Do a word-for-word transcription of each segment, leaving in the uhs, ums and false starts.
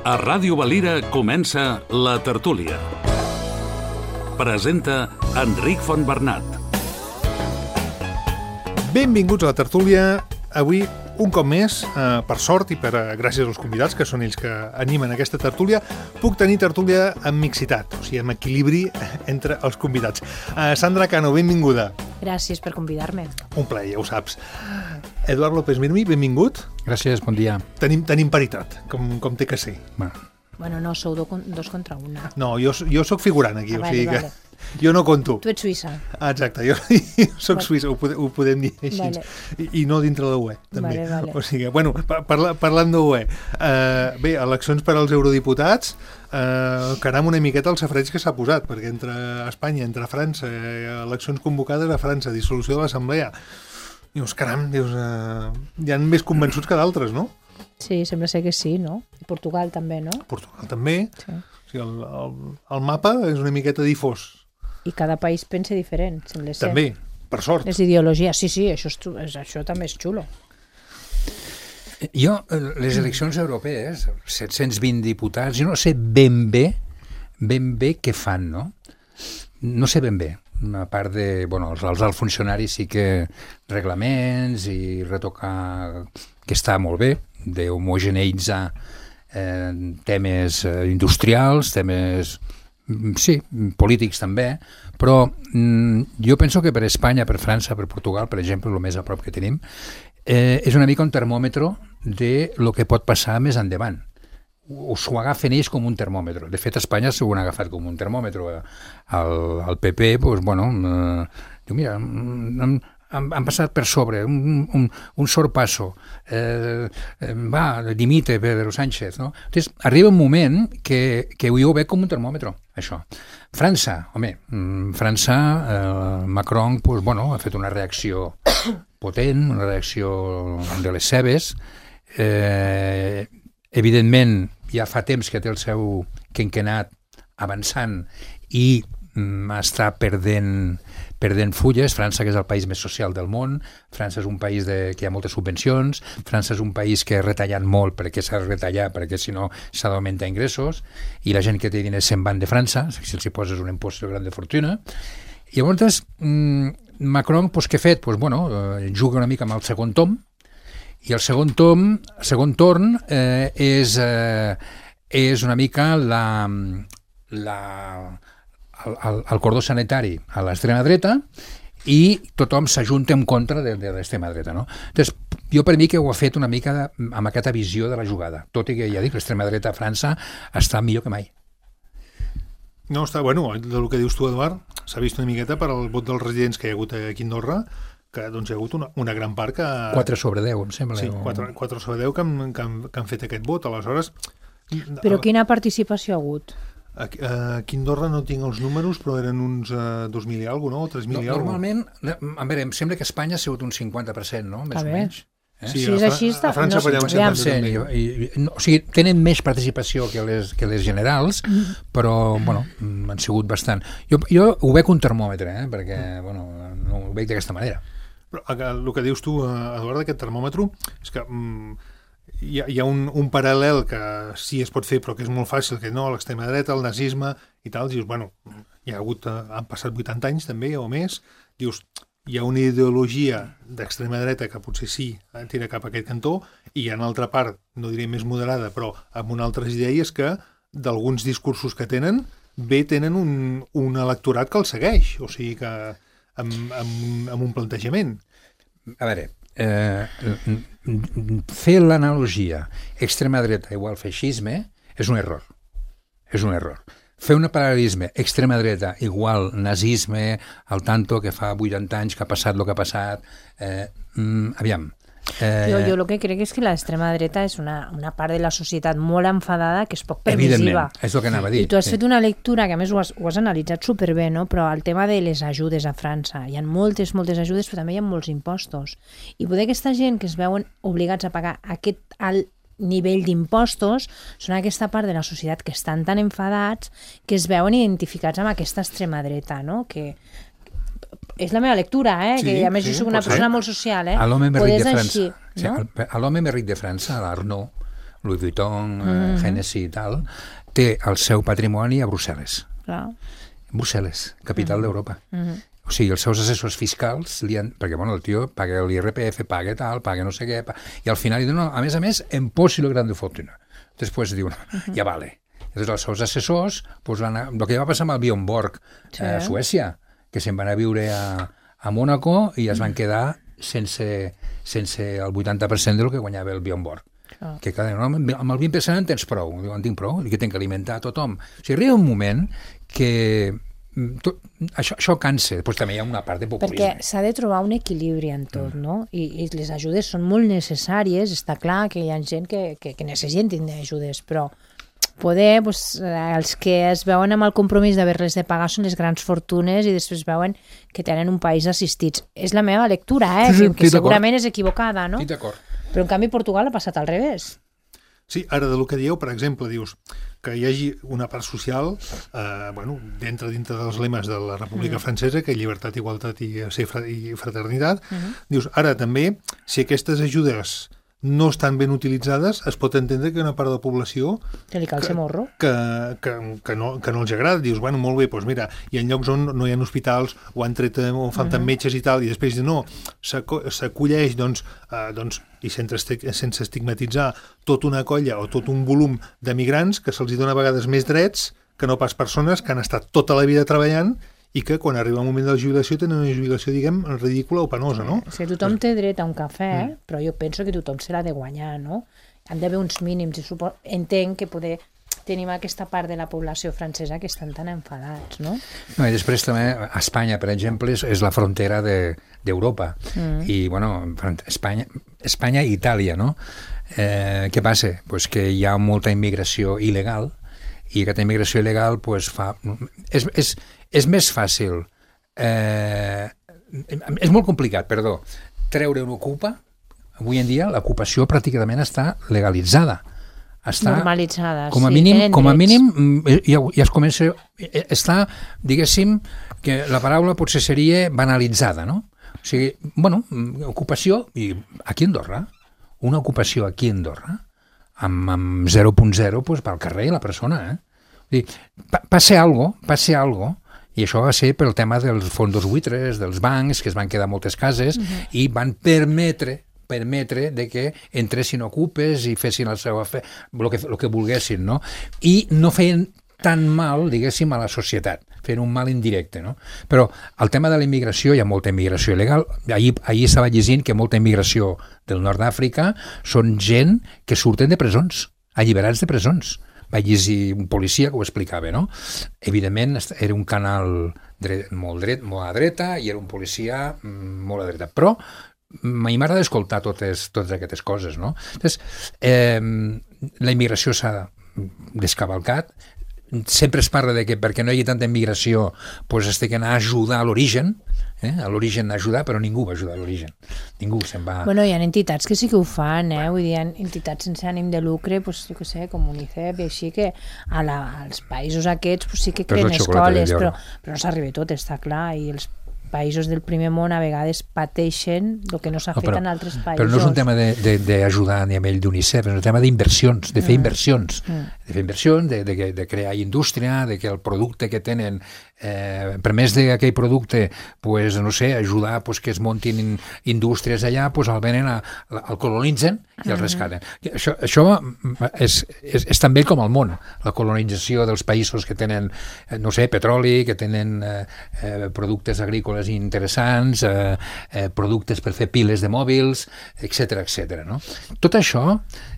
A Ràdio Valira comença La Tertúlia. Presenta Enric Fontbernat. Benvinguts a La Tertúlia. Avui, un cop més, eh, per sort i per, eh, gràcies als convidats, que són ells que animen aquesta tertúlia, puc tenir tertúlia amb mixitat, o sigui, amb equilibri entre els convidats. Eh, Sandra Cano, benvinguda. Gràcies per convidar-me. Un plaer, ja ho saps. Eduard López Mirmi, benvingut. Gràcies, bon dia. Tenim, tenim paritat, com, com té que ser. Bueno, Bueno, no, sou do, dos contra una. No, jo, jo sóc figurant aquí, Ah, o vale, sigui que vale. jo no conto. Tu ets suïssa. Ah, exacte, jo, jo sóc Vale. suïssa, ho, podem, ho podem dir així. Vale. I, I no dintre de l'U E, també. Vale, vale. O sigui, bueno, parla, parlant d'U E, uh, bé, eleccions per als eurodiputats, uh, caram una miqueta el safreig que s'ha posat, perquè entre Espanya, entre França, eh, eleccions convocades a França, dissolució de l'Assemblea, dius, caram, dius, uh, hi ha més convençuts que d'altres, no? Sí, sembla ser que sí, no? I Portugal també, no? Portugal també. Sí. O sigui, el, el, el mapa és una miqueta difós. I cada país pensa diferent, sembla ser. També, per sort. Les ideologies, sí, sí, això, és, xu- és, això també és xulo. jo, eh, les eleccions europees, set-cents vint diputats, jo no sé ben bé, ben bé què fan, no? No sé ben bé. A part de, bueno, els, els alts funcionaris sí que reglaments i retocar, que està molt bé, d'homogeneïtzar eh, temes eh, industrials, temes, mm, sí, polítics també, però mm, jo penso que per Espanya, per França, per Portugal, per exemple, el més a prop que tenim, eh, és una mica un termòmetre de lo que pot passar més endavant. Us ho agafen ells com un termòmetre. De fet, a Espanya s'ho han agafat com un termòmetre. El, el P P, doncs, bueno, eh, diu, mira, han, han, han passat per sobre, un, un, un sorpasso. Eh, eh, va, dimite Pedro Sánchez, no? Entonces, arriba un moment que, que jo ho veig com un termòmetre, això. França, home, França, eh, Macron, doncs, bueno, ha fet una reacció potent, una reacció de les seves. Eh, evidentment, ja fa temps que té el seu quinquennat avançant i mm, està perdent, perdent fulles. França, que és el país més social del món, França és un país de, que hi ha moltes subvencions, França és un país que ha retallat molt perquè s'ha de retallar, perquè si no s'ha d'augmentar ingressos, i la gent que té diners se'n van de França, si els hi poses un impost de gran de fortuna. I llavors, mm, Macron, pues, què ha fet? Pues, bueno, eh, juga una mica amb el segon tom, i el segon tom, el segon torn eh, és, eh, és una mica la, la, el, el, el cordó sanitari a l'extrema dreta i tothom s'ajunta en contra de, de l'extrema dreta, no? Entonces, jo per mi que ho ha fet una mica de, amb aquesta visió de la jugada, tot i que ja dic, l'extrema dreta a França està millor que mai. No, està, bueno, del que dius tu, Eduard, s'ha vist una miqueta per al vot dels residents que hi ha hagut aquí a Andorra, que doncs, hi ha hagut una, una gran part que... quatre sobre deu, em sembla. Sí, quatre sobre deu que han, que, han, que han fet aquest vot. Aleshores... Però quina participació ha hagut? Aquí, aquí a Andorra no tinc els números, però eren uns uh, dos mil i alguna cosa, no? tres mil no, i alguna cosa. Normalment, a veure, em sembla que a Espanya ha sigut un cinquanta per cent, no? Més A o veure. menys. Eh? Sí, Si a, és Fra així, està- a França no, per allà un aviam. setanta I, també. i, i, no, o sigui, tenen més participació que les, que les generals, però, bueno, mm, han sigut bastant. Jo, jo ho veig un termòmetre, eh? Perquè, bueno, no ho veig d'aquesta manera. Però el que dius tu, Eduard, d'aquest termòmetre, és que mm, hi ha, hi ha un, un paral·lel que sí es pot fer, però que és molt fàcil, que no, l'extrema dreta, el nazisme i tal, dius, bueno, hi ha hagut, han passat vuitanta anys també o més, dius, hi ha una ideologia d'extrema dreta que potser sí tira cap a aquest cantó, i hi ha una altra part, no diré més moderada, però amb unes altres idees que d'alguns discursos que tenen, bé tenen un, un electorat que els segueix, o sigui que amb, amb, amb un plantejament. A veure, eh, fer l'analogia extrema dreta igual feixisme és un error. És un error. Fer un paral·lelisme extrema dreta igual nazisme, al tanto que fa vuitanta anys que ha passat el que ha passat, eh, mm, aviam. Eh, Jo, jo el que crec és que l'extrema dreta és una, una part de la societat molt enfadada que és poc permissiva. Evidentment, és el que anava a dir. I tu has sí. fet una lectura que a més ho has, ho has analitzat superbé, no? Però el tema de les ajudes a França, hi ha moltes, moltes ajudes, però també hi ha molts impostos. I poder aquesta gent que es veuen obligats a pagar aquest alt nivell d'impostos són aquesta part de la societat que estan tan enfadats que es veuen identificats amb aquesta extrema dreta, no? Que és la meva lectura, eh? Sí, que a més sí, jo soc una pot ser. persona molt social, eh? A l'home més ric de Poder és França, així, sí, no? a l'home més ric de França, l'Arnaud, Louis Vuitton, mm-hmm. Hennessy i tal, té el seu patrimoni a Brussel·les. Clar. Brussel·les, capital mm-hmm. d'Europa. Mm-hmm. O sigui, els seus assessors fiscals, li han, perquè bueno, el tio paga l'I R P F, paga tal, paga no sé què, paga, i al final li diuen, no, a més a més, impossible grande fortuna. Després diuen, uh-huh. ja vale. Llavors els seus assessors, pues, van a, el que va passar amb el Björn Borg sí. a Suècia, que se'n van a viure a, a Mònaco i es van quedar sense, sense el vuitanta per cent del que guanyava el Björn Borg. Oh. Que cada, no, amb el vint per cent en tens prou, en tinc prou, i que tinc que alimentar a tothom. O sigui, arriba un moment que tot, això, això cansa, però també hi ha una part de populisme. Perquè s'ha de trobar un equilibri en tot, mm. no? I, I les ajudes són molt necessàries, està clar que hi ha gent que, que, que necessiten ajudes, però poder, pues, els que es veuen amb el compromís d'haver-les de pagar són les grans fortunes i després veuen que tenen un país assistits. És la meva lectura, eh? Sí, sí, que, que segurament és equivocada, no? Sí, d'acord. Però en canvi Portugal ha passat al revés. Sí, ara de lo que dieu, per exemple, dius que hi hagi una part social, eh, bueno, dintre dintre dels lemes de la República mm. Francesa, que llibertat, igualtat i, i fraternitat, mm-hmm. dius, ara també, si aquestes ajudes no estan ben utilitzades, es pot entendre que hi ha una part de la població que li cal ser morro. Que, que, que, no, que no els agrada. Dius, bueno, molt bé, doncs mira, hi ha llocs on no hi ha hospitals, o han tret, o falten uh-huh. metges i tal, i després no, s'acolleix, doncs, eh, doncs, i sense, sense estigmatitzar, tota una colla o tot un volum de migrants que se'ls dona a vegades més drets que no pas persones que han estat tota la vida treballant i que quan arriba el moment de la jubilació tenen una jubilació, diguem, ridícula o penosa, no? Sí, tothom té dret a un cafè, mm. però jo penso que tothom se l'ha de guanyar, no? Han d'haver uns mínims, i supo... entenc que poder tenim aquesta part de la població francesa que estan tan enfadats, no? No, i després també Espanya, per exemple, és, és la frontera d'Europa, de, mm. i, bueno, Espanya, Espanya i Itàlia, no? Eh, què passa? Pues que hi ha molta immigració il·legal, i aquesta immigració il·legal pues, fa... És, és, és més fàcil, eh, és molt complicat, perdó, treure una ocupa. Avui en dia l'ocupació pràcticament està legalitzada. Està normalitzada, com a sí, mínim, com a mínim ja, ja es comença, està, diguéssim, que la paraula potser seria banalitzada, no? O sigui, bueno, ocupació, i aquí a Andorra, una ocupació aquí a Andorra, amb, amb zero punt zero, pues, pel carrer la persona, eh? Vull dir, pa, passe algo, passe algo, i això va ser pel tema dels fondos buitres, dels bancs, que es van quedar moltes cases, uh-huh. i van permetre permetre de que entressin ocupes i fessin el seu afer, el que, el que volguessin, no? I no feien tan mal, diguéssim, a la societat, fent un mal indirecte, no? Però el tema de la immigració, hi ha molta immigració il·legal. Ahir, ahir estava llegint que molta immigració del nord d'Àfrica són gent que surten de presons, alliberats de presons. Vaig llegir un policia que ho explicava, no? Evidentment, era un canal dret, molt dret, molt a dreta, i era un policia molt a dreta. Però a mi m'agrada escoltar totes, totes aquestes coses, no? Entonces, eh, la immigració s'ha descavalcat. Sempre es parla de que perquè no hi hagi tanta immigració pues es té que anar a ajudar a l'origen, eh? a l'origen a ajudar, però ningú va ajudar a l'origen. Ningú se'n va... Bueno, hi ha entitats que sí que ho fan, eh? Vull dir, hi ha entitats sense ànim de lucre, pues, jo què sé, com UNICEF i així, que a la, als països aquests pues, sí que creen escoles, però, però no s'arriba tot, està clar, i els països del primer món a vegades pateixen el que no s'ha no, fet en altres països. Però no és un tema d'ajudar a nivell d'UNICEF, és un tema d'inversions, de fer mm. inversions, mm. de fer inversions, de, de, de crear indústria, de que el producte que tenen, eh, per més d'aquell producte, pues, no sé, ajudar pues, que es muntin indústries allà, pues, el venen, a, el colonitzen i el rescaten. Mm. Això, això és, és, és tan vell com el món, la colonització dels països que tenen, no sé, petroli, que tenen eh, eh, productes agrícoles interessants, eh, eh, productes per fer piles de mòbils, etcètera, etcètera, no? Tot això,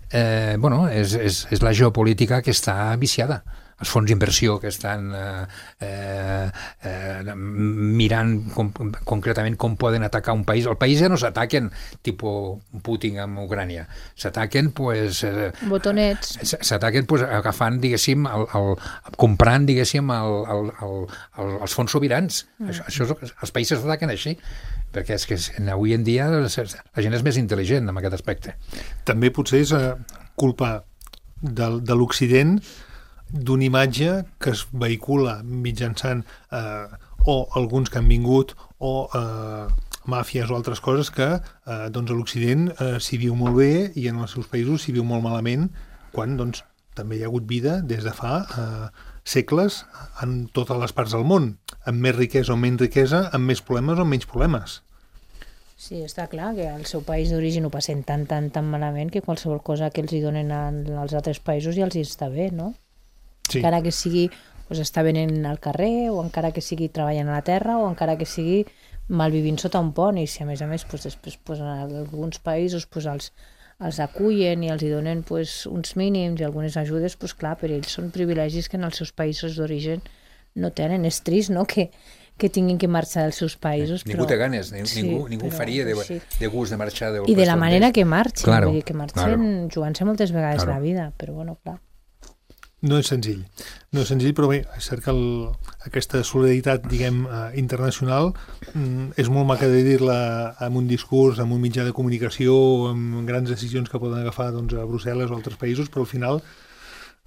eh, bueno, és, és, és la geopolítica que està viciada. Els fons d'inversió que estan eh, eh, mirant com, concretament com poden atacar un país. El país ja no s'ataquen tipus Putin amb Ucrània. S'ataquen, pues... Eh, botonets. S'ataquen, pues, agafant, diguéssim, el, el, comprant, diguéssim, el, el, el, el, els fons sobirans. Mm. Això, això, els països s'ataquen així, perquè és que avui en dia la gent és més intel·ligent en aquest aspecte. També potser és eh, culpa de, de l'Occident d'una imatge que es vehicula mitjançant eh, o alguns que han vingut o eh, màfies o altres coses que eh, doncs a l'Occident eh, s'hi viu molt bé i en els seus països s'hi viu molt malament quan doncs, també hi ha hagut vida des de fa eh, segles en totes les parts del món, amb més riquesa o menys riquesa, amb més problemes o menys problemes. Sí, està clar que al seu país d'origen ho passen tan, tan, tan malament que qualsevol cosa que els hi donen als altres països ja els hi està bé, no? Sí. Encara que sigui pues, estar venent al carrer, o encara que sigui treballant a la terra, o encara que sigui malvivint sota un pont, i si a més a més pues, després pues, en alguns països pues, els, els acullen i els hi donen pues, uns mínims i algunes ajudes, pues, clar, per ells són privilegis que en els seus països d'origen no tenen. És trist, no?, que que tinguin que marxar dels seus països. Ningú però... té ganes, ningú, sí, ningú faria de, sí. de gust de marxar del I de la manera que marxen, claro, vull dir, que marxen claro. jugant-se moltes vegades claro. la vida, però bueno, clar. No és senzill, no és senzill, però bé, és cert que el, aquesta solidaritat, diguem, eh, internacional mm, és molt maca de dir-la amb un discurs, amb un mitjà de comunicació, amb grans decisions que poden agafar doncs, a Brussel·les o altres països, però al final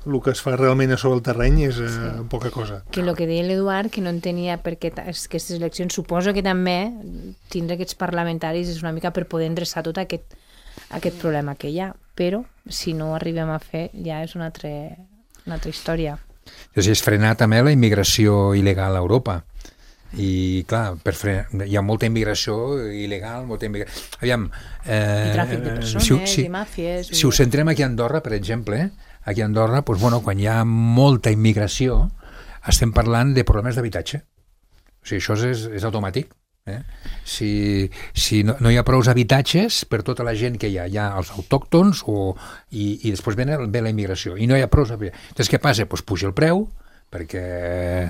el que es fa realment a sobre el terreny és eh, sí. poca cosa. Que el que deia l'Eduard, que no entenia perquè aquestes eleccions, suposo que també tindre aquests parlamentaris és una mica per poder endreçar tot aquest, aquest problema que hi ha, però si no ho arribem a fer ja és una altra, una altra història. Llavors és frenar també la immigració il·legal a Europa. I clar, per frenar, hi ha molta immigració il·legal, molta immigració... Aviam... Eh, I tràfic de persones, si, si, i màfies... Si ho centrem aquí a Andorra, per exemple, aquí a Andorra, doncs, bueno, quan hi ha molta immigració, estem parlant de problemes d'habitatge. O sigui, això és, és automàtic. Eh? Si, si no, no hi ha prou habitatges per tota la gent que hi ha, hi ha els autòctons o, i, i després ve, ve la immigració, i no hi ha prou habitatges. Llavors què passa? Pues puja el preu, perquè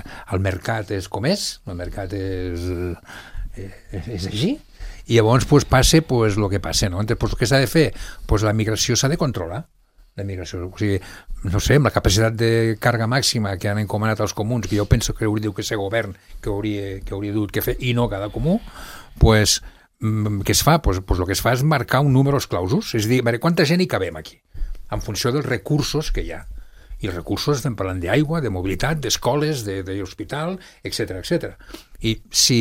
el mercat és com és, el mercat és, és, és així, i llavors pues, passa pues, el que passa. No? Entonces, pues, què s'ha de fer? Pues, la migració s'ha de controlar. La migració, o sigui, no sé, amb la capacitat de càrrega màxima que han encomanat els comuns, que jo penso que hauria que ser govern que hauria, que hauria dut que fer, i no cada comú, pues, què es fa? Pues, pues el que es fa és marcar un número clausus, és a dir, quanta gent hi cabem aquí, en funció dels recursos que hi ha. I els recursos estem parlant d'aigua, de mobilitat, d'escoles, d'hospital, etcètera, etcètera. I si...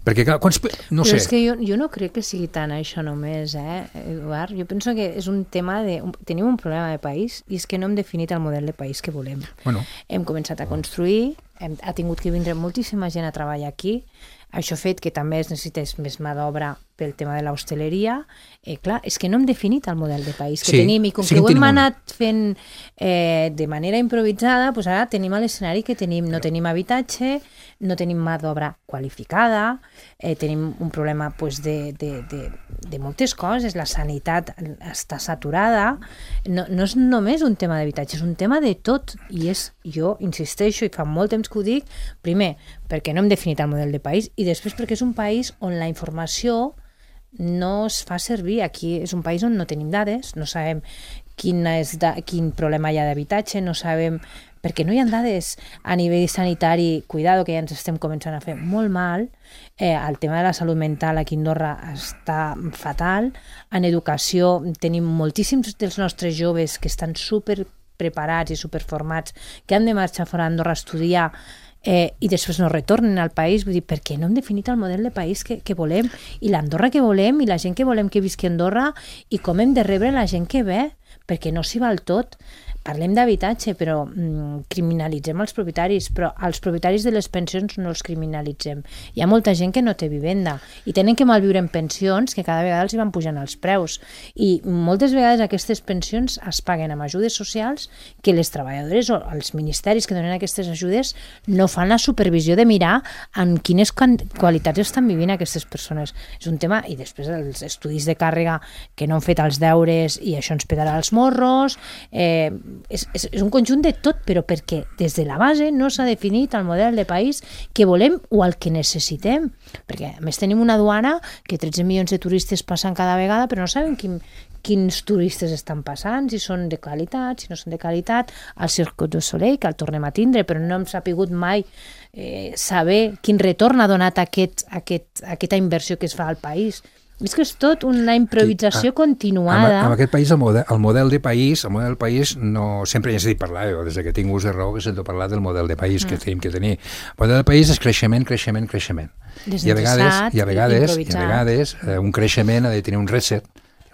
Perquè, clar, quants... No Però sé... és que jo, jo no crec que sigui tant això només, eh, Eduard? Jo penso que és un tema de... Tenim un problema de país i és que no hem definit el model de país que volem. Bueno. Hem començat a construir, hem, ha tingut que vindre moltíssima gent a treballar aquí, això ha fet que també es necessités més mà d'obra pel tema de l'hostaleria. Eh, clar, és que no hem definit el model de país que sí, tenim, i com sí que ho hem tenim anat fent eh, de manera improvisada, doncs ara tenim l'escenari que tenim. No tenim habitatge, no tenim mà d'obra qualificada, eh, tenim un problema pues, de, de, de, de moltes coses, la sanitat està saturada, no, no és només un tema d'habitatge, és un tema de tot, i és, jo insisteixo, i fa molt temps que ho dic, primer, perquè no hem definit el model de país, i després perquè és un país on la informació no es fa servir. Aquí és un país on no tenim dades, no sabem quin, és da, quin problema hi ha d'habitatge, no sabem, perquè no hi ha dades a nivell sanitari, cuidado, que ja ens estem començant a fer molt mal, eh, el tema de la salut mental aquí a Andorra està fatal, en educació tenim moltíssims dels nostres joves que estan super preparats i superformats, que han de marxar fora d'Andorra a estudiar, Eh, i després no retornen al país. Vull dir, per què no hem definit el model de país que, que volem, i l'Andorra que volem, i la gent que volem que visqui a Andorra, i com hem de rebre la gent que ve, perquè no s'hi val tot. Parlem d'habitatge, però mm, criminalitzem els propietaris, però els propietaris de les pensions no els criminalitzem. Hi ha molta gent que no té vivenda i tenen que malviure en pensions que cada vegada els hi van pujant els preus, i moltes vegades aquestes pensions es paguen amb ajudes socials que les treballadores o els ministeris que donen aquestes ajudes no fan la supervisió de mirar en quines qualitats estan vivint aquestes persones. És un tema, i després els estudis de càrrega que no han fet els deures i això ens petarà els morros, eh, És, és, és un conjunt de tot, però perquè des de la base no s'ha definit el model de país que volem o el que necessitem, perquè a més tenim una duana que tretze milions de turistes passen cada vegada, però no sabem quin, quins turistes estan passant, si són de qualitat, si no són de qualitat. El Cirque du Soleil, que el tornem a tindre, però no hem sapigut mai eh, saber quin retorn ha donat aquest, aquest, aquesta inversió que es fa al país. És que és tot una improvisació sí, continuada. En, en aquest país, el model, el model de país, el model de país no, sempre hi he sentit parlar, jo, des que tinc ús de raó que sento parlar del model de país mm. que tenim que tenir. El model de país és creixement, creixement, creixement. I a vegades, i a vegades, i a vegades eh, un creixement ha de tenir un reset,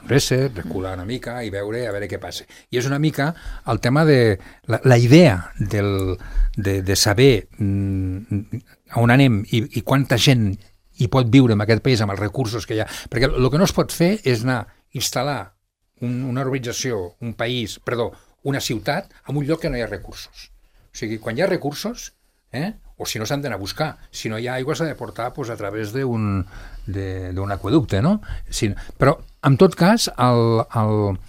reset, recular una mica i veure a veure què passa. I és una mica el tema de la, la idea del, de, de saber mm, on anem i, i quanta gent hi pot viure en aquest país amb els recursos que hi ha. Perquè el que no es pot fer és anar a instal·lar un, una urbanització, un país, perdó, una ciutat en un lloc que no hi ha recursos. O sigui, quan hi ha recursos, eh, o si no s'han d'anar a buscar, si no hi ha aigua s'ha de portar pues, a través d'un d'un aqüeducte, no? Si, però, en tot cas, el, el,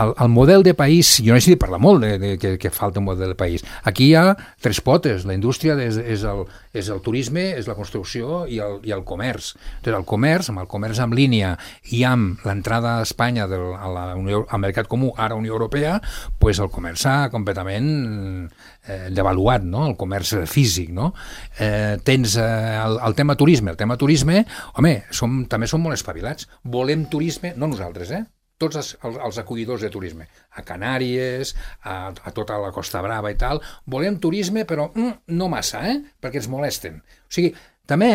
el, el model de país, jo no sé si parla molt de, de que, que falta un model de país. Aquí hi ha tres potes, la indústria és, és, el, és el turisme, és la construcció i el, i el comerç. Entonces, el comerç, amb el comerç en línia i amb l'entrada a Espanya del, a la Unió, al mercat comú, ara Unió Europea, pues el comerç s'ha completament eh, devaluat, no? El comerç físic, no? Eh, tens eh, el, el tema turisme, el tema turisme, home, som, també som molt espavilats. Volem turisme, no nosaltres, eh? Tots els, els acollidors de turisme, a Canàries, a, a tota la Costa Brava i tal, volem turisme, però mm, no massa, eh? Perquè ens molesten. O sigui, també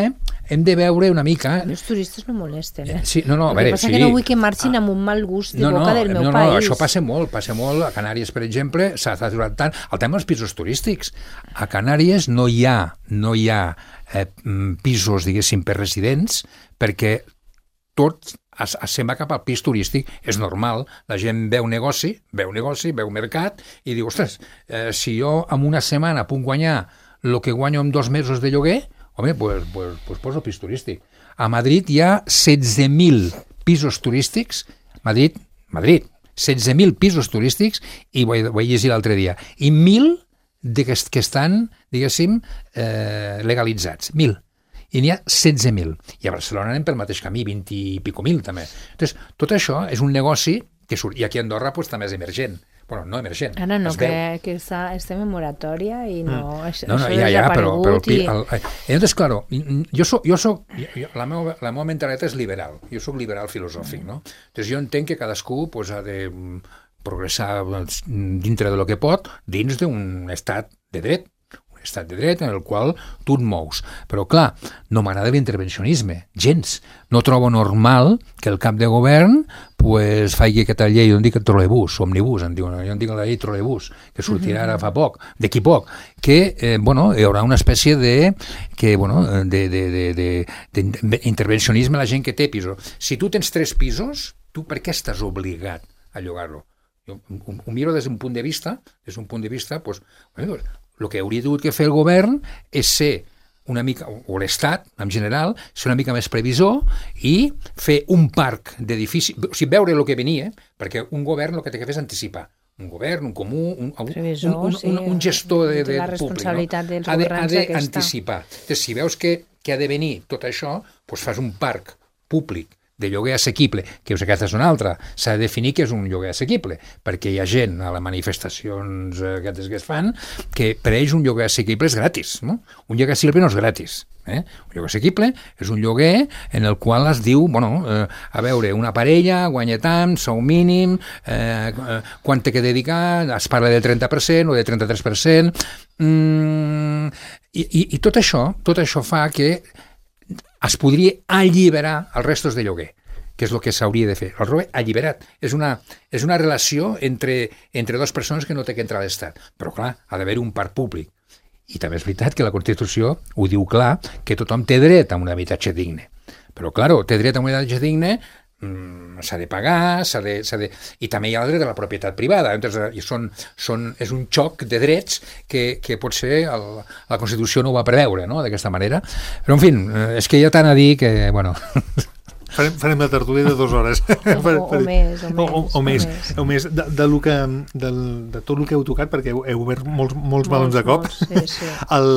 hem de veure una mica... Els turistes no molesten, eh? Sí, no, no, a el que veure, passa sí. que no vull que marxin amb un mal gust de no, boca no, del meu no, no, país. Això passa molt, passa molt. A Canàries, per exemple, s'ha saturat tant. El tema dels pisos turístics. A Canàries no hi ha, no hi ha eh, pisos, diguéssim, per residents, perquè tot es, es se'n va cap al pis turístic. És normal, la gent veu negoci, veu negoci, veu mercat, i diu, ostres, eh, si jo en una setmana puc guanyar el que guanyo en dos mesos de lloguer, home, pues, pues, pues poso pis turístic. A Madrid hi ha setze mil pisos turístics, Madrid, Madrid, setze mil pisos turístics, i ho he, ho he llegit l'altre dia, i mil de que, que estan, diguéssim, eh, legalitzats, mil. I n'hi ha setze mil. I a Barcelona anem pel mateix camí, vint i pico mil també. Entonces, tot això és un negoci que surt, i aquí a Andorra pues, també és emergent. Bueno, no emergent. Ara no, que, que està, estem en moratòria i no... Mm. Això, no, no, això ja, ja, però... però i... el, el, entonces, claro, jo soc... Jo soc jo, la, meva, la meva mentalitat és liberal. Jo soc liberal filosòfic, no? Entonces, jo entenc que cadascú pues, ha de progressar dintre de lo que pot dins d'un estat de dret. Estat de dret en el qual tu et mous. Però, clar, no m'agrada l'intervencionisme, gens. No trobo normal que el cap de govern pues, faci aquesta llei, jo en dic trolebús, omnibús, en diuen, jo en dic la llei trolebús, que sortirà ara fa poc, d'aquí poc, que, eh, bueno, hi haurà una espècie de, que, bueno, de, de, de, de, de intervencionisme a la gent que té pisos. Si tu tens tres pisos, tu per què estàs obligat a llogar-lo? Jo ho, ho miro des d'un punt de vista, des d'un punt de vista, pues, bueno, el que hauria hagut que fer el govern és ser una mica, o l'Estat en general, ser una mica més previsor i fer un parc d'edificis, o sigui, veure el que venia, perquè un govern el que té que fer és anticipar. Un govern, un comú, un, Previsor, un, un, sí, un, un gestor de, de la responsabilitat públic, no? dels governs ha d'anticipar. Entonces, si veus que, que ha de venir tot això, doncs fas un parc públic de lloguer assequible, que és aquesta és una altra, s'ha de definir què és un lloguer assequible, perquè hi ha gent a les manifestacions aquestes que es fan que per ells un lloguer assequible és gratis, no? Un lloguer assequible no és gratis. Eh? Un lloguer assequible és un lloguer en el qual es diu, bueno, eh, a veure, una parella guanya tant, sou mínim, eh, eh, quan té que dedicar, es parla del trenta per cent o del trenta-tres per cent, mm, i, i, i tot això, tot això fa que es podria alliberar els restos de lloguer, que és el que s'hauria de fer. El lloguer alliberat. És una, és una relació entre, entre dues persones que no té que entrar a l'Estat. Però, clar, ha d'haver un parc públic. I també és veritat que la Constitució ho diu clar, que tothom té dret a un habitatge digne. Però, clar, té dret a un habitatge digne, mmm, s'ha de pagar, s'ha de, s'ha de... i també hi ha el dret a la propietat privada. Entonces, i són, són, és un xoc de drets que, que potser el, la Constitució no ho va preveure, no?, d'aquesta manera. Però, en fi, és que hi ha tant a dir que, bueno... Farem, farem la tertúlia de dues hores. O, o, o més, o més. O, o, o més, o més. De, de, lo que, de, de tot el que heu tocat, perquè heu, heu obert molts, molts balons de cop. Molts, sí, sí. El,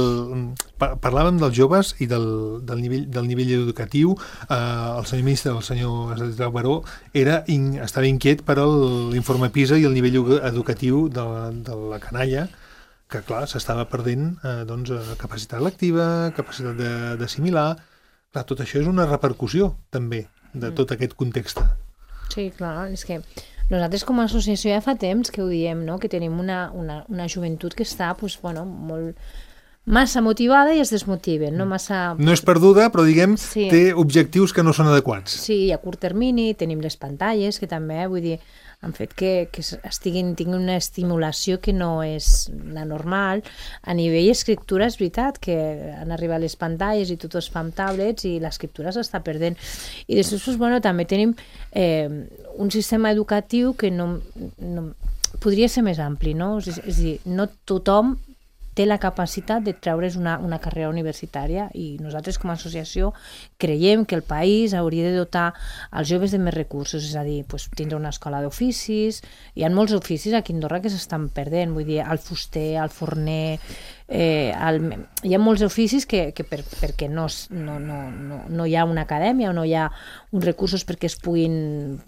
parlàvem dels joves i del, del, nivell, del nivell educatiu. Eh, el senyor ministre, el senyor Estradeu Baró, era, in, estava inquiet per l'informe PISA i el nivell educatiu de, de la canalla, que, clar, s'estava perdent eh, doncs, capacitat lectiva, capacitat d'assimilar... Clar, tot això és una repercussió, també, de tot aquest context. Sí, clar, és que nosaltres com a associació ja fa temps que ho diem, no?, que tenim una, una, una joventut que està, pues, bueno, molt, massa motivada i es desmotiven, no massa... No és perduda, però diguem, Sí. té objectius que no són adequats. Sí, a curt termini tenim les pantalles, que també, vull dir, han fet que, que estiguin, tinguin una estimulació que no és la normal. A nivell escriptura és veritat que han arribat les pantalles i tot es fa amb tablets i l'escriptura s'està perdent. I després, doncs, bueno, també tenim eh, un sistema educatiu que no, no, podria ser més ampli, no? És, és a dir, no tothom té la capacitat de treure's una, una carrera universitària i nosaltres com a associació creiem que el país hauria de dotar els joves de més recursos, és a dir, pues, tindre una escola d'oficis, hi ha molts oficis aquí a Andorra que s'estan perdent, vull dir, el fuster, el forner, eh, el, hi ha molts oficis que, que per, perquè no, no, no, no, no hi ha una acadèmia o no hi ha uns recursos perquè es puguin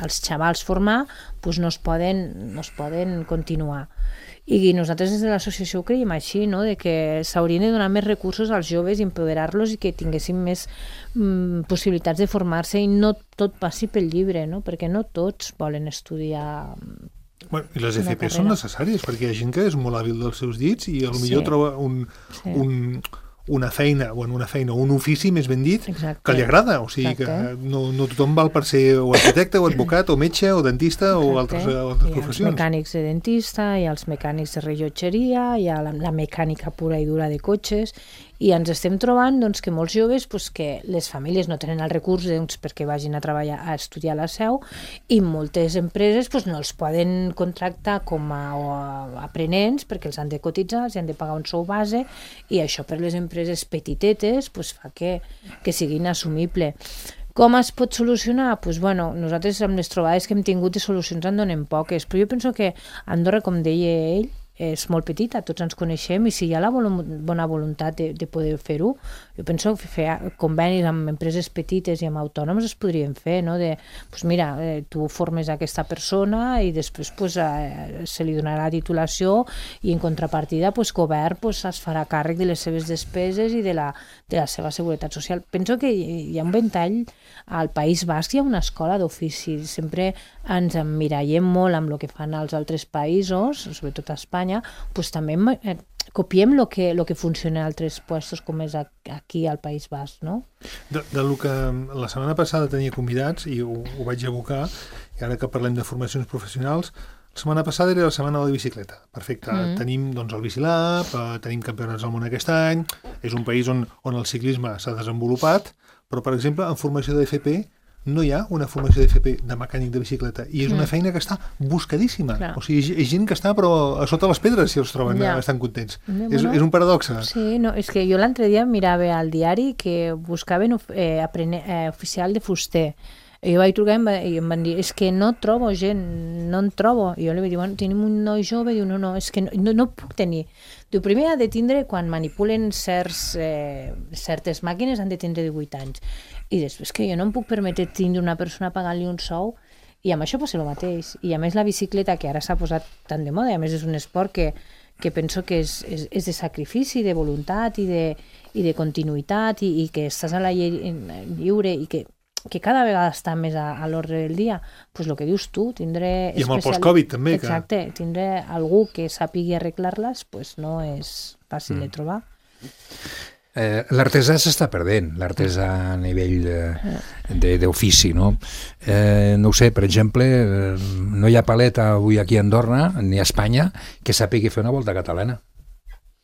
els xavals formar, pues no es poden, no es poden continuar. I nosaltres des de l'associació ho creiem així, no? De que s'haurien de donar més recursos als joves, empoderar-los i que tinguessin més mm, possibilitats de formar-se i no tot passi pel llibre, no? Perquè no tots volen estudiar. Bueno, i les Una F P carrera. són necessàries, perquè hi ha gent que és molt hàbil dels seus dits i potser Sí. troba un, Sí. un, una feina, bueno, una feina, un ofici, més ben dit, Exacte. que li agrada. O sigui Exacte. que no, no tothom val per ser o arquitecte, o advocat, o metge, o dentista, o altres, Exacte. altres Hi ha els professions. mecànics de dentista, hi ha els mecànics de rellotgeria, hi ha la, la mecànica pura i dura de cotxes, i ens estem trobant doncs, que molts joves pues, que les famílies no tenen els recursos doncs, perquè vagin a treballar a estudiar a la seu i moltes empreses pues, no els poden contractar com a, a aprenents perquè els han de cotitzar, els han de pagar un sou base i això per les empreses petitetes pues, fa que, que siguin assumible. Com es pot solucionar? Pues, bueno, nosaltres amb les trobades que hem tingut de solucions en donem poques, però jo penso que Andorra, com deia ell, és molt petita, tots ens coneixem i si hi ha la volum- bona voluntat de, de poder fer-ho, jo penso que fer convenis amb empreses petites i amb autònoms es podrien fer, no? De, pues mira, eh, tu formes aquesta persona i després pues, eh, se li donarà titulació i en contrapartida pues, govern pues, es farà càrrec de les seves despeses i de la, de la seva seguretat social. Penso que hi ha un ventall al País Basc, hi ha una escola d'ofici, sempre ens emmirallem molt amb el que fan els altres països, sobretot a Espanya, pues, també eh, copiem el que, lo que funciona a altres puestos com és aquí al País Basc, no? De, de lo que la setmana passada tenia convidats i ho, ho vaig abocar, i ara que parlem de formacions professionals, la setmana passada era la setmana de la bicicleta. Perfecte. Mm. Tenim doncs, el Bicilab, eh, tenim campionats del món aquest any, és un país on, on el ciclisme s'ha desenvolupat, però, per exemple, en formació de F P no hi ha una formació d'F P de mecànic de bicicleta i és una feina que està buscadíssima. Clar. O sigui, és gent que està però a sota les pedres si els troben Ja. estan contents. Ja, És, bueno. és un paradoxe. Sí, no, és que jo l'altre dia mirava al diari que buscaven eh, aprene, eh, oficial de fuster. I jo vaig trucar i em, va, i em van dir, és que no trobo gent, no en trobo. I jo li vaig dir, bueno, tenim un noi jove, diu, no, no, és que no, no, no puc tenir. Diu, primer ha de tindre, quan manipulen certs, eh, certes màquines, han de tindre divuit anys. I després que jo no em puc permetre tindre una persona pagant-li un sou, i amb això passa el mateix. I a més la bicicleta, que ara s'ha posat tan de moda, i a més és un esport que, que penso que és, és, és de sacrifici, de voluntat i de, i de continuïtat, i, i que estàs a la lle lliure i que que cada vegada està més a, a l'ordre del dia, doncs el que dius tu, tindre... I amb el especial- post-Covid també. Que... Exacte, tindre algú que sàpigui arreglar-les, doncs no és fàcil mm. de trobar. Eh, l'artesà s'està perdent, l'artesà a nivell eh, d'ofici, no? Eh, no ho sé, per exemple, eh, no hi ha paleta avui aquí a Andorra, ni a Espanya, que sàpigui fer una volta catalana.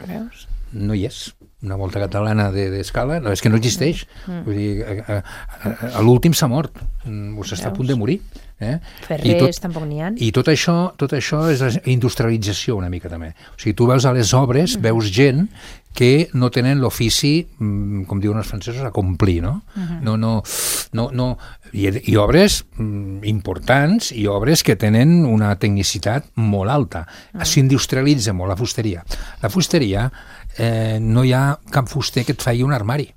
Veus? No hi és. Una volta catalana d'escala, de, no, és que no existeix. Mm. Vull dir, a, a, a, a l'últim s'ha mort, o s'està a punt de morir. Eh? Ferrers tot, tampoc n'hi ha. I tot això, tot això és la industrialització una mica també. O sigui, tu veus a les obres, mm. veus gent que no tenen l'ofici, com diuen els francesos, a complir, no? Mm-hmm. No, no, no, no. I, i obres mm, importants i obres que tenen una tecnicitat molt alta. Mm. S'industrialitza molt la fusteria. La fusteria, eh, no hi ha cap fuster que et faci un armari.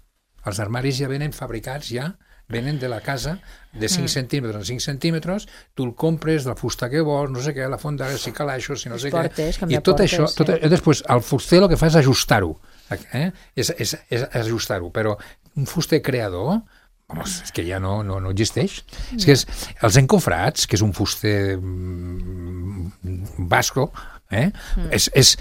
Els armaris ja venen fabricats, ja venen de la casa de cinc mm. centímetres en cinc centímetres, tu el compres, la fusta que vols, no sé què, la fonda, si calaixos, si no sé portes, què. I tot portes, això, tot, sí. Després, el fuster el que fa és ajustar-ho. Eh? És, és, és ajustar-ho, però un fuster creador vamos, és que ja no, no, no existeix. Mm. És que és, els encofrats, que és un fuster mm, basco, eh? mm. és, és,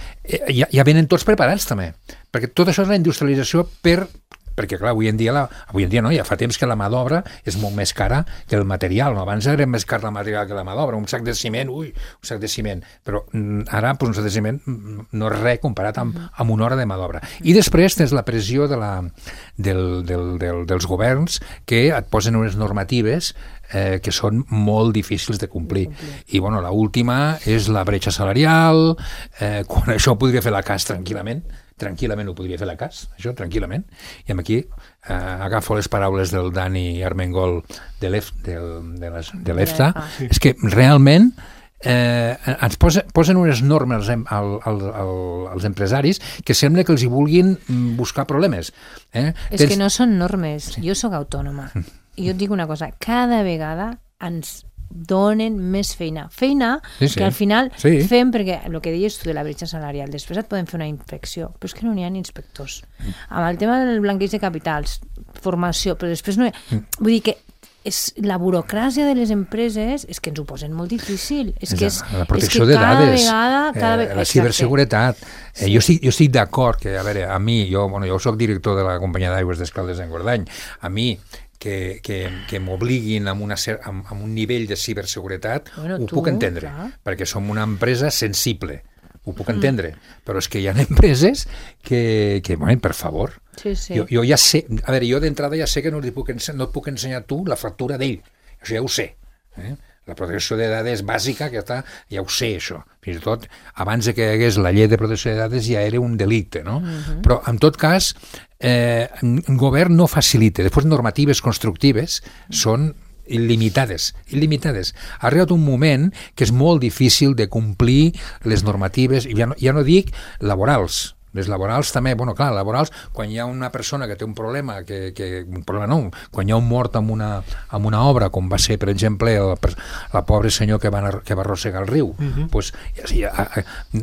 ja, ja venen tots preparats també, perquè tot això és la industrialització per... perquè, clar, avui en dia, la, avui en dia no, ja fa temps que la mà d'obra és molt més cara que el material, no? Abans era més car la material que la mà d'obra, un sac de ciment, ui, un sac de ciment, però ara pues, un sac de ciment no és res comparat amb, amb una hora de mà d'obra. I després tens la pressió de la, del, del, del, dels governs que et posen unes normatives eh, que són molt difícils de complir. I, bueno, l'última és la bretxa salarial, eh, quan això podria fer la C A S tranquil·lament, tranquil·lament ho podria fer la C A S, això, tranquil·lament. I aquí eh, agafo les paraules del Dani Armengol de l'EFTA. Sí. És que realment eh, ens posa, posen unes normes al, al, al, als empresaris que sembla que els hi vulguin buscar problemes. Eh? És Tens... que no són normes. Sí. Jo sóc autònoma. I jo et dic una cosa, cada vegada ens donen més feina. Feina sí, sí. que al final sí. fem, perquè el que deies tu de la bretxa salarial, després et poden fer una inspecció, però és que no n'hi ha inspectors. Mm. Amb el tema del blanqueig de capitals, formació, però després no hi ha... Mm. Vull dir que és, la burocràcia de les empreses és que ens ho posen molt difícil. És que és, la protecció és que de cada dades, vegada, cada eh, la ciberseguretat. Eh, sí. Jo estic, jo estic d'acord que, a veure, a mi, jo, bueno, jo soc director de la companyia d'aigües d'Escaldes en Guardany, a mi que, que, que m'obliguin amb, una, amb, amb un nivell de ciberseguretat, bueno, ho tu, puc entendre, clar. Perquè som una empresa sensible, ho puc mm. entendre, però és que hi ha empreses que, que bueno, per favor, sí, sí. Jo, jo ja sé, a veure, jo d'entrada ja sé que no, li puc, no et puc ensenyar tu la factura d'ell, això ja ho sé, eh? La protecció de dades bàsica, que està, ja ho sé, això. Fins i tot, abans de que hi hagués la llei de protecció de dades ja era un delicte, no? Uh-huh. Però, en tot cas, eh, el govern no facilita. Després, normatives constructives són il·limitades, il·limitades. Ha arribat un moment que és molt difícil de complir les normatives, i ja no, ja no dic laborals, les laborals també, bueno, clar, laborals, quan hi ha una persona que té un problema, que, que un problema no, quan hi ha un mort amb una, amb una obra, com va ser, per exemple, el, la pobre senyor que va, que va arrossegar el riu, uh-huh. pues, ja, ja,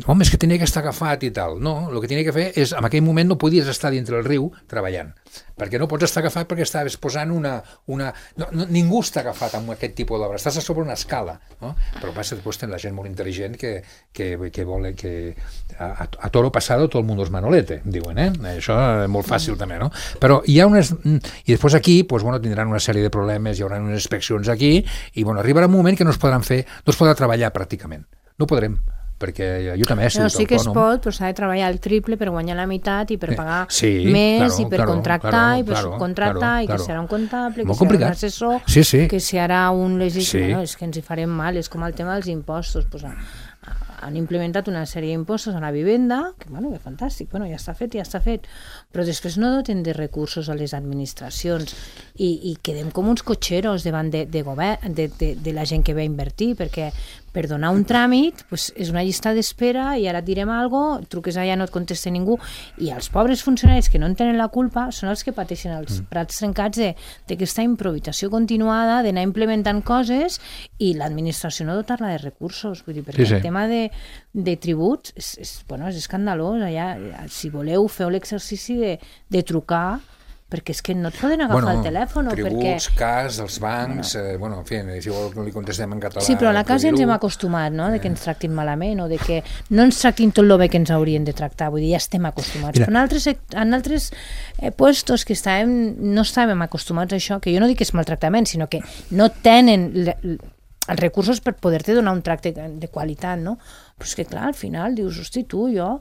home, és que tenia que estar agafat i tal. No, el que tenia que fer és, en aquell moment no podies estar dintre el riu treballant, perquè no pots estar agafat perquè estaves posant una... una no, no, ningú està agafat amb aquest tipus d'obra, estàs a sobre una escala, no? Però passa, després tens la gent molt intel·ligent que, que, que vol que a, a toro pasado todo el mundo es manolete, diuen, eh? Això és molt fàcil també, no? Però hi ha unes... I després aquí, pues, bueno, tindran una sèrie de problemes, hi haurà unes inspeccions aquí, i bueno, arribarà un moment que no es podran fer, no es podrà treballar pràcticament. No podrem, perquè jo també he sigut no, sí que autònom. Es pot, però s'ha de treballar el triple per guanyar la meitat i per pagar sí, més claro, i per claro, contractar claro, i per claro, subcontractar claro, i que claro. serà un comptable, molt que complicat. serà un assessor, sí, sí. que serà un legítim... Sí. No, és que ens hi farem mal, és com el tema dels impostos. Pues, han implementat una sèrie d'impostos a la vivenda, que, bueno, que fantàstic, bueno, ja està fet, ja està fet, però després no doten de recursos a les administracions i, i quedem com uns cotxeros davant de, de, govern, de, de, de la gent que ve a invertir, perquè per donar un tràmit pues, és una llista d'espera i ara et direm alguna cosa, truques allà, no et contesta ningú, i els pobres funcionaris que no en tenen la culpa són els que pateixen els prats trencats d'aquesta improvisació continuada, d'anar implementant coses i l'administració no dotar-la de recursos, vull dir, perquè sí, sí. El tema de, de tributs és, és, bueno, és escandalós, allà, si voleu feu l'exercici de, de trucar, perquè és que no et poden agafar bueno, el telèfon. Tributs, perquè... cas, els bancs, bueno, eh, bueno en fi, si vol li contestem en català... Sí, però a la casa ens hem acostumat, no?, de que ens tractin malament o de que no ens tractin tot el bé que ens haurien de tractar, vull dir, ja estem acostumats. Mira. Però en altres, en altres eh, puestos que estàvem, no estàvem acostumats a això, que jo no dic que és maltractament, sinó que no tenen le, els recursos per poder-te donar un tracte de qualitat, no? Però és que, clar, al final dius, hosti, tu, jo...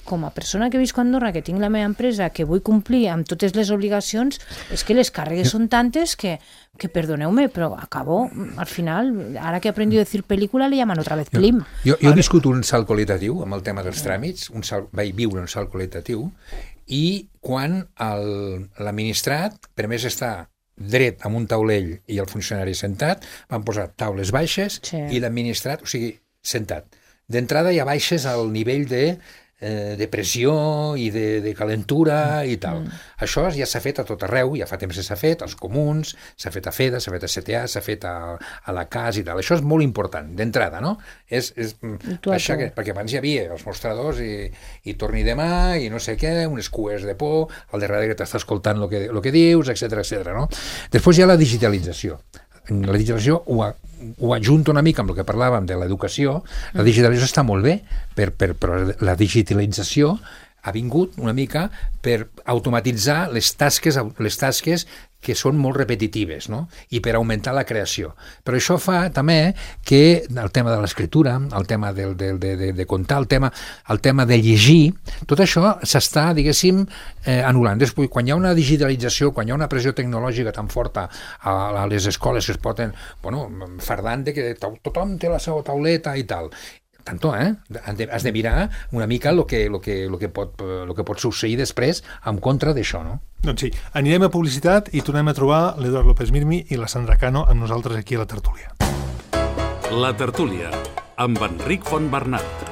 com a persona que visc a Andorra, que tinc la meva empresa, que vull complir amb totes les obligacions, és que les càrregues són tantes que, que perdoneu-me, però acabo, al final, ara que he aprendido a decir pel·lícula, le llaman otra vez Klim. Jo, jo he viscut un salt qualitatiu amb el tema dels tràmits, un salt, vaig viure un salt qualitatiu, i quan l'administrat, per més estar dret amb un taulell i el funcionari sentat, van posar taules baixes sí. I l'administrat, o sigui, sentat. D'entrada ja baixes al nivell de eh, de pressió i de, de calentura i tal. Mm. Això ja s'ha fet a tot arreu, ja fa temps que s'ha fet, als comuns, s'ha fet a FEDA, s'ha fet a C T A, s'ha fet a, a la C A S i tal. Això és molt important, d'entrada, no? És, és, això que, perquè abans hi havia els mostradors i, i torni demà i no sé què, unes cues de por, al darrere que t'està escoltant el que, lo que dius, etcètera, etcètera, no? Després hi ha la digitalització. La digitalització ho, ho ajunta una mica amb el que parlàvem de l'educació. La digitalització està molt bé, per, per, però la digitalització ha vingut una mica per automatitzar les tasques, les tasques que són molt repetitives, no? I per augmentar la creació. Però això fa també que el tema de l'escriptura, el tema del, del, de, de, de contar, el tema, el tema de llegir, tot això s'està, diguéssim, eh, anul·lant. Després, quan hi ha una digitalització, quan hi ha una pressió tecnològica tan forta a, a les escoles que es poden, bueno, fardant de que tothom té la seva tauleta i tal, tanto, eh? Has de mirar una mica el que, lo que, lo que, pot, lo que pot succeir després en contra d'això, no? Doncs sí, anirem a publicitat i tornem a trobar l'Eduard López Mirmi i la Sandra Cano amb nosaltres aquí a la tertúlia. La tertúlia, amb Enric Fontbernat.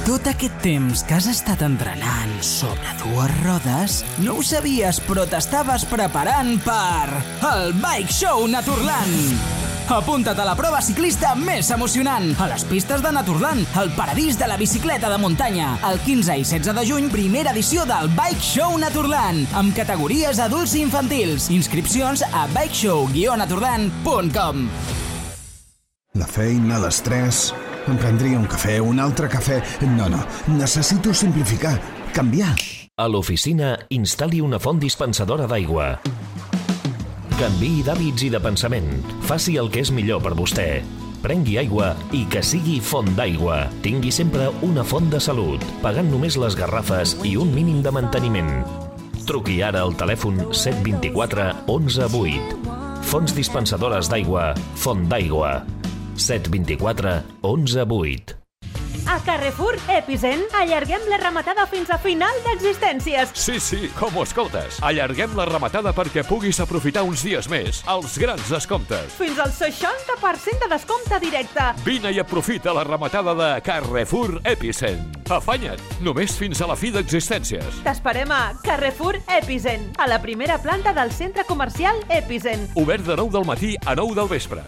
Tot aquest temps que has estat entrenant sobre dues rodes, no ho sabies, però t'estaves preparant per el Bike Show Naturland. Apunta't a la prova ciclista més emocionant, a les pistes de Naturland, el paradís de la bicicleta de muntanya. El quinze i setze de juny, primera edició del Bike Show Naturland, amb categories adults i infantils. Inscripcions a bikeshow guió naturland punt com. La feina, l'estrès... Em prendria un cafè, un altre cafè... No, no, necessito simplificar, canviar. A l'oficina, instal·li una font dispensadora d'aigua. Canviï d'hàbits i de pensament. Faci el que és millor per vostè. Prengui aigua i que sigui font d'aigua. Tingui sempre una font de salut, pagant només les garrafes i un mínim de manteniment. Truqui ara al telèfon set dos quatre onze vuit. Fonts dispensadores d'aigua, Font d'Aigua. set dos quatre onze vuit. A Carrefour Epicent allarguem la rematada fins a final d'existències. Sí, sí, com ho escoltes. Allarguem la rematada perquè puguis aprofitar uns dies més els grans descomptes. Fins al seixanta per cent de descompte directe. Vine i aprofita la rematada de Carrefour Epicent. Afanya't, només fins a la fi d'existències. T'esperem a Carrefour Epicent, a la primera planta del centre comercial Epicent. Obert de nou del matí a nou del vespre.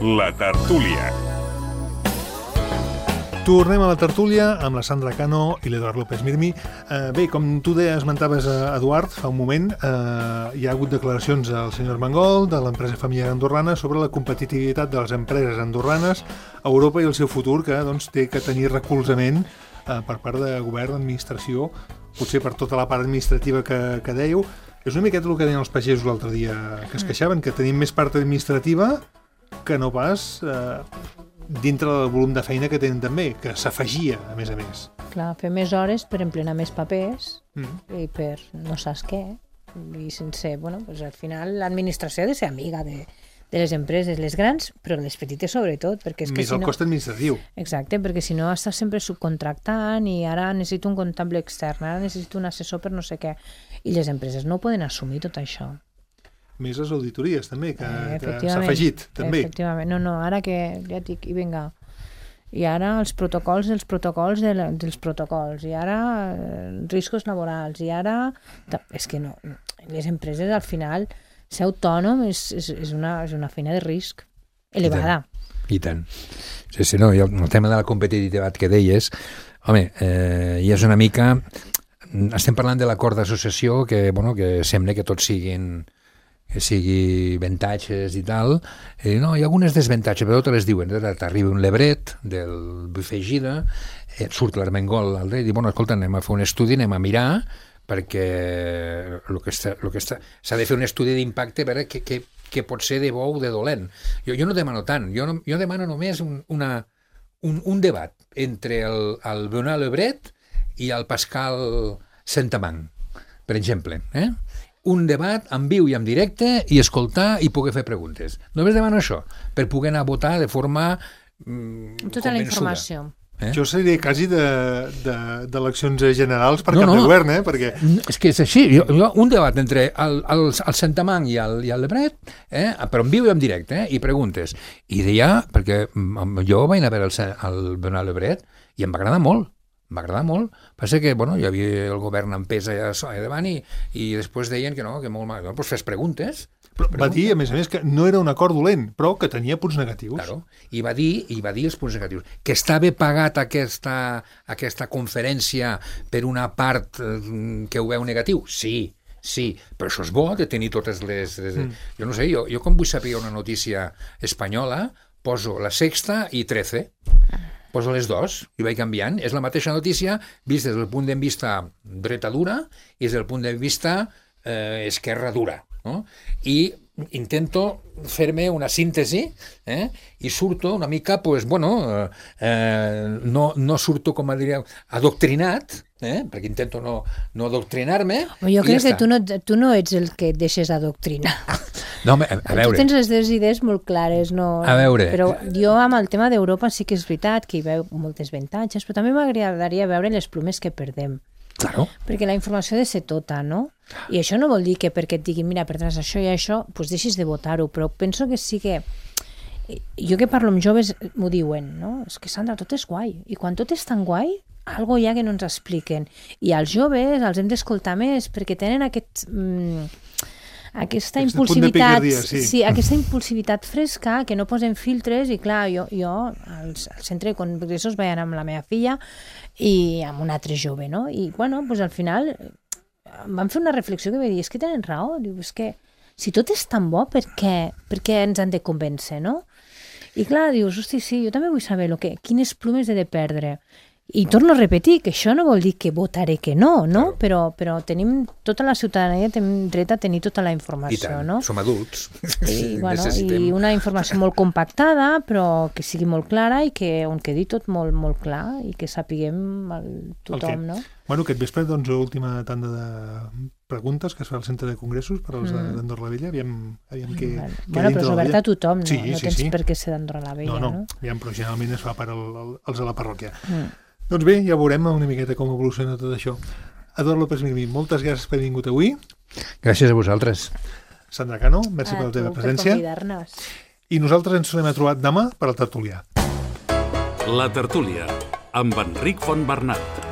La tertúlia. Tornem a la tertúlia amb la Sandra Cano i l'Eduard López Mirmi. Eh, bé, com tu deia, esmentaves a Eduard fa un moment, eh, hi ha hagut declaracions del senyor Mangol, de l'empresa familiar andorrana, sobre la competitivitat de les empreses andorranes a Europa i el seu futur, que doncs, té que tenir recolzament eh, per part de govern, d'administració, potser per tota la part administrativa que, que dèieu. És una miqueta el que deien els pagesos l'altre dia, que es queixaven, que tenim més part administrativa que no pas eh, dintre del volum de feina que tenen també, que s'afegia, a més a més. Clar, fer més hores per emplenar més papers Mm. i per no saps què. I sense, bueno, pues al final l'administració ha de ser amiga de, de les empreses, les grans, però les petites sobretot, perquè és que Més si el no... cost administratiu. Exacte, perquè si no estàs sempre subcontractant i ara necessito un comptable extern, ara necessito un assessor per no sé què. I les empreses no poden assumir tot això. Més les auditories, també, que, Eh, que s'ha efectivament, afegit, també. Efectivament, no, no, ara que ja et dic, i vinga, i ara els protocols, els protocols de la, dels protocols, i ara eh, riscos laborals, i ara... És que no, les empreses al final, ser autònom és, és, és, una, és una feina de risc elevada. I tant. Sí, sí, no, i el, el tema de la competitivitat que deies, home, eh, ja és una mica... Estem parlant de l'acord d'associació que, bueno, que sembla que tots siguin... que sigui avantatges i tal, eh, no, hi ha algunes desavantatges, però te les diuen, t'arriba un lebret del buffet Gira, eh, surt l'Armengol al rei, i diu, bueno, escolta, anem a fer un estudi, anem a mirar, perquè el que està, el que està, s'ha de fer un estudi d'impacte per veure què, què, què pot ser de bo o de dolent. Jo, jo no demano tant, jo, no, jo demano només un, una, un, un debat entre el, el Bernard Lebret i el Pascal Saint-Amand, per exemple, eh? Un debat en viu i en directe i escoltar i poder fer preguntes. Només demano això, per poder anar a votar de forma mm, tota la informació. Eh? Jo seria quasi d'eleccions de, de, generals per no, cap no. de govern, eh? Perquè... És que és així. Jo, jo, un debat entre el, el, el Santamang i el, i el Lebret, eh? però en viu i en directe, eh? i preguntes. I deia, perquè jo vaig anar a veure el, el Bernat Lebret i em va agradar molt. Em va agradar molt. Passa que, bueno, hi havia el govern en pes allà davant i, i després deien que no, que molt mal. Doncs fes preguntes. Però va dir, a més a més, que no era un acord dolent, però que tenia punts negatius. Claro. I va dir, i va dir els punts negatius. Que estava pagat aquesta, aquesta conferència per una part eh, que ho veu negatiu? Sí, sí, però això és bo de tenir totes les... les mm. Jo no sé, jo, jo com vull saber una notícia espanyola, poso La Sexta i Trece. Poso les dos i vaig canviant. És la mateixa notícia vista des del punt de vista dreta dura i des del punt de vista eh, esquerra dura. No? I intento fer-me una síntesi eh? i surto una mica, pues, bueno, eh, no, no surto, com diríem, adoctrinat, eh? perquè intento no, no adoctrinar-me. Jo crec ja que tu no, tu no ets el que et deixes adoctrinar. No, a, a veure. Tu tens les teves idees molt clares, no? A veure. Però jo amb el tema d'Europa sí que és veritat que hi veu moltes avantatges, però també m'agradaria veure les plomes que perdem. Claro. Perquè la informació ha de ser tota, no? I això no vol dir que perquè et diguin mira, perdràs això i això, doncs deixis de votar-ho, però penso que sí que... Jo que parlo amb joves m'ho diuen, no? És que, Sandra, tot és guai. I quan tot és tan guai, algo hi ha que no ens expliquen. I als joves els hem d'escoltar més perquè tenen aquest... Mm, aquesta Aquest impulsivitat, picardia, sí. sí, aquesta impulsivitat fresca que no posen filtres i clar, jo, jo al, al centre de congressos vaig anar amb la meva filla i amb un altre jove, no? I bueno, pues al final vam fer una reflexió que va dir, és que tenen raó, diu, és que si tot és tan bo, per què, per què ens han de convèncer, no? I clar, dius, hosti, sí, jo també vull saber lo que, quines plomes he de perdre. I torno a repetir que això no vol dir que votaré que no, no? Claro. Però, però tenim, tota la ciutadania tenim dret a tenir tota la informació, I tant, no? som adults. I, bueno, i una informació molt compactada, però que sigui molt clara i que on quedi tot molt, molt clar i que sapiguem el, tothom, okay. no? Bueno, aquest vespre, doncs, l'última tanda de preguntes que es fa al centre de congressos per als mm. d'Andorra la Vella, aviam, aviam què... Bueno, bueno però és obert a tothom, no? Sí, no sí, tens sí. per què ser d'Andorra la Vella, no? No, no, aviam, però generalment es fa per al, al, als de la parròquia. Mm. Doncs bé, ja veurem una miqueta com evoluciona tot això. Eduard López Mirmí, moltes gràcies per haver vingut avui. Gràcies a vosaltres. Sandra Cano, merci a per la teva tu, presència. per convidar-nos. I nosaltres ens tornem a trobar demà per al Tertulià. La Tertúlia, amb Enric Fontbernat.